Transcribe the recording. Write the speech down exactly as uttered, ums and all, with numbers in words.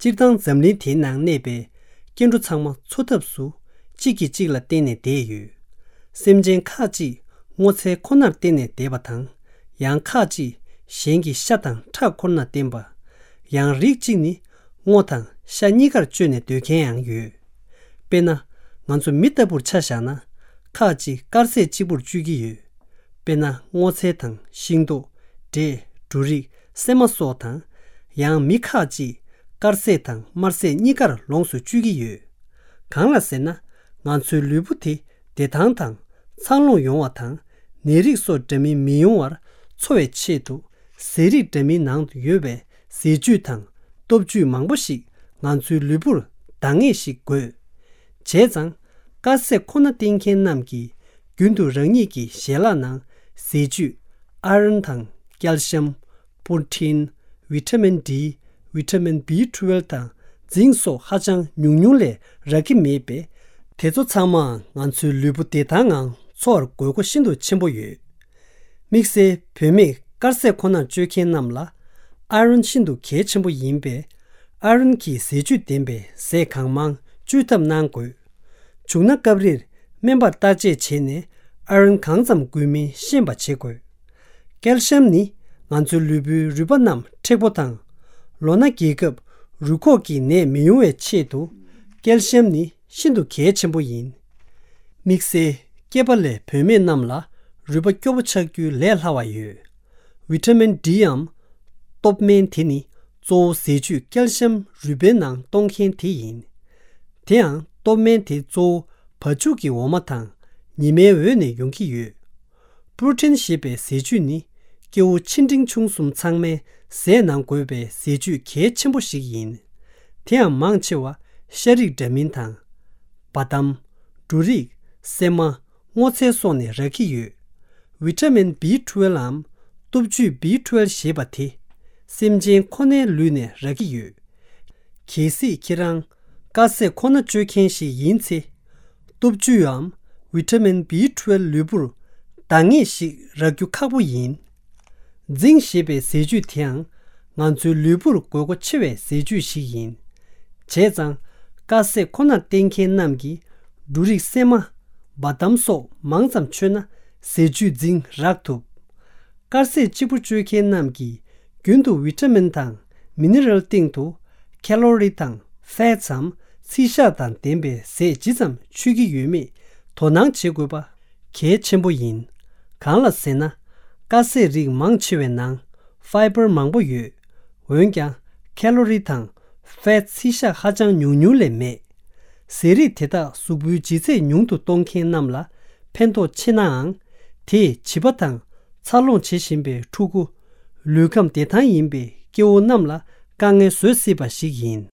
སྤྱིར་བཏང་འཛམ་གླིང་དེའི་ནང་གནས་པའི་སྐྱེ་འགྲོ་ཚང་མ་འཚོ་ཐབས་སུ་གཅིག་གིས་གཅིག་ལ་བརྟེན་ནས་བསྡད་ཡོད། སེམས་ཅན་ཁག་ཅིག་སྔོ་ཚལ་ཁོ་ནར་བརྟེན་ནས་བསྡད་པ་དང་། ཡང་ཁག་ཅིག་གཞན་གྱི་ཤ་དང་ཁྲག་ཁོ་ནར་བརྟེན་པ། ཡང་རིགས་གཅིག་ནི་སྔོ་དང་ཤ་གཉིས་ཀར་སྤྱོད་ནས་སྡོད་མཁན་ཡང་ཡོད། དཔེར་ན། ང་ཚོ་མི་ལྟ་བུར་ཆ་བཞག་ན། ཁག་ཅིག་དཀར་ཟས་གཅིག་པུར་སྤྱོད་ཀྱི་ཡོད། དཔེར་ན། སྔོ་ཚལ་དང་ཤིང་ཏོག་འབྲས། འབྲུ་རིགས། སྲན་མ་སོགས་དང་། ཡང་མི་ཁག་ཅིག་དཀར་ཟས་དང་དམར་ཟས་གཉིས་ཀར་ལོངས་སུ་སྤྱོད་ཀྱི་ཡོད། གང་ལ་ཟེར་ན། ང་ཚོའི་ལུས་པོ་དེ་བདེ་ཐང་དང་འཚར་ལོངས་ཡོང་བ་དང་། ནད་རིགས་སོགས་འདྲ་མིན་མི་ཡོང་བར་འཚོ་བའི་ཆེད་དུ། ཟས་རིགས་འདྲ་མིན་ནང་དུ་ཡོད་པའི་ཟས་བཅུད་དང་སྟོབས་བཅུད་མང་པོ་ཞིག་ང་ཚོའི་ལུས་པོར་འདང་ངེས་ཤིག་དགོས། བྱས་ཙང་། དཀར་ཟས་ཁོ་ན་བསྟེན་མཁན་རྣམས་ཀྱིས་རྒྱུན་དུ་རང་ཉིད་ཀྱི་ཞལ་ལག་ནང་ཟས་བཅུད་ཨ་རོན་དང་ཀལ་ཤམ། པོར་ཊིན། ཝི་ཊ་མིན་ཌི། ཝི་ཊ་མིན་བི་ཊུ་ཝེལ་དང་རྫིང་སོགས་ཧ་ཅང་ཉུང་ཉུང་ལས་རག་གི་མེད་པས། དེ་ཚོ་ཚང་མའང་ང་ཚོའི་ལུས་པོ་བདེ་ཐང་ངང་འཚོ་བར་དགོས་མཁོ་ཤིན་ཏུ་ཆེན་པོ་ཡོད། དམིགས་བསལ་བུད་མེད་དཀར་ཟས་ཁོ་ནར་སྤྱོད་མཁན་རྣམས་ལ་ཨ་རོན་ཤིན་ཏུ་གལ་ཆེན་པོ་ཡིན་པས། ཨ་རོན་གྱི་ཟས་བཅུད་ལྡན་པའི་ཟས་གང་མང་སྤྱོད་ཐབས་གནང་དགོས། བྱུང་ན་སྐབས་རེར་སྨན་པར་བརྟག་དཔྱད་བྱས་ནས་ཨ་རོན་གང་ཙམ་དགོས་མིན་ཤེས་པ་བྱེད་དགོས། ཀལ་ཤམ་ནི་ང་ཚོའི་ལུས་པོའི་རུས་པ་རྣམས་མཁྲེགས་པོ་དང་། ལོ་ན་རྒས་སྐབས་རུས་ཁོག་གི་ནད་མི་ཡོང་བའི་ཆེད་དུ་ཀལ་ཤམ་ནི་ཤིན་ཏུ་གལ་ཆེན་པོ་ཡིན། དམིགས་བསལ་སྐྱེས་པ་ལས་བུད་མེད་རྣམས་ལ་རུས་པ་སྐྱོ་པོ་ཆགས་རྒྱུའི་ལས་སླ་བ་ཡོད། ཝི་ཊ་མིན་ཌིའམ་སྟོབས་སྨན་དེ་ནི་གཙོ་བོ་ཟས་བཅུད་ཀལ་ཤམ་རུས་པའི་ནང་གཏོང་མཁན་དེ་ཡིན། དེ་ཡང་སྟོབས་སྨན་དེ་གཙོ་བོ་བ་ཕྱུགས་ཀྱི་འོ་མ་དང་ཉི་མའི་འོད་ནས་ཡོང་གི་ཡོད། པྲོ་ཊིན་ཞེས་པའི་ཟས་བཅུད་ནི་སྐྱེ་བོ་ཆེ་འབྲིང་ཆུང་གསུམ་ཚང་མའི་ཟས་ནང་དགོས་པའི་ཟས་བཅུད་གལ་ཆེན་པོ་ཞིག་ཡིན། དེ་ཡང་མང་ཆེ་བ་ཤ་རིགས་འདྲ་མིན་དང་། བ་དམ། འབྲུ་རིགས། སྲན་མ། སྔོ་ཚལ་སོགས་ནས་རག་གི་ཡོད། ཝི་ཊ་མིན་བི་ཊུ་ཝེལ་ལའམ་སྟོབས་བཅུད་བི་ཊུ་ཝེལ་ཞེས་པ་དེ་སེམས་ཅན་ཁོ་ནའི་ལུས་ནས་རག་གི་ཡོད། གལ་སྲིད་ཁྱེད་རང་དཀར་ཟས་ཁོ་ན་སྤྱོད་མཁན་ཞིག་ཡིན་ཚེ། སྟོབས་བཅུད་འམ་ཝི་ཊ་མིན་བི་ཊུ་ཝེལ་ལུས་པོར་འདང་ངེས་ཤིག་རག་རྒྱུ་ཁག་པོ་ཡིན། རྫིང་ཞེས་པའི་ཟས་བཅུད་དེའང་ང་ཚོའི་ལུས་པོར་དགོས་མཁོ་ཆེ་བའི་ཟས་བཅུད་ཞིག་ཡིན། བྱས་ཙང་། དཀར་ཟས་ཁོ་ནར་བརྟེན་མཁན་རྣམས་ཀྱིས་འབྲུ་རིགས། སྲན་མ། བ་དམ་སོགས་མང་ཙམ་མཆོད་ན་ཟས་བཅུད་རྫིང་རག་ཐུབ། དཀར་ཟས་གཅིག་པུ་སྤྱོད་མཁན་རྣམས་ཀྱིས་རྒྱུན་དུ་ཝི་ཊ་མིན་དང་མི་ནི་རལ་སྟེང་དུ་ཁེ་ལོ་རི་དང་ཕེ་ཊི་སམ་ཚིལ་ཤ་དང་ལྡན་པའི་ཟས་ཇི་ཙམ་མཆོད་ཀྱི་ཡོད་མེད་དོ་སྣང་བྱེད་དགོས་པ་གལ་ཆེན་པོ་ཡིན། གང་ལ་ཟེར་ན། དཀར་ཟས་རིགས་མང་ཆེ་བའི་ནང་ཕའི་བར་མང་པོ་ཡོད། འོན་ཀྱང་ཁེ་ལོ་རི་དང་ཕེ་ཊི་ཚིལ་ཤ་ཧ་ཅང་ཉུང་ཉུང་ལས་མེད། ཟས་རིགས་དེ་དག་གཟུགས་པོའི་ལྗིད་ཚད་ཉུང་དུ་གཏོང་མཁན་རྣམས་ལ་ཕན་ཐོགས་ཆེ་ནའང་། དེས་བྱིས་པ་དང་འཚར་ལོངས་བྱེད་བཞིན་པའི་ཕྲུ་གུ། ལུས་ཁམས་བདེ་ཐང་ཡིན་པའི་སྐྱེ་བོ་རྣམས་ལ་དཀའ་ངལ་བཟོ་སྲིད་པ་ཞིག་ཡིན།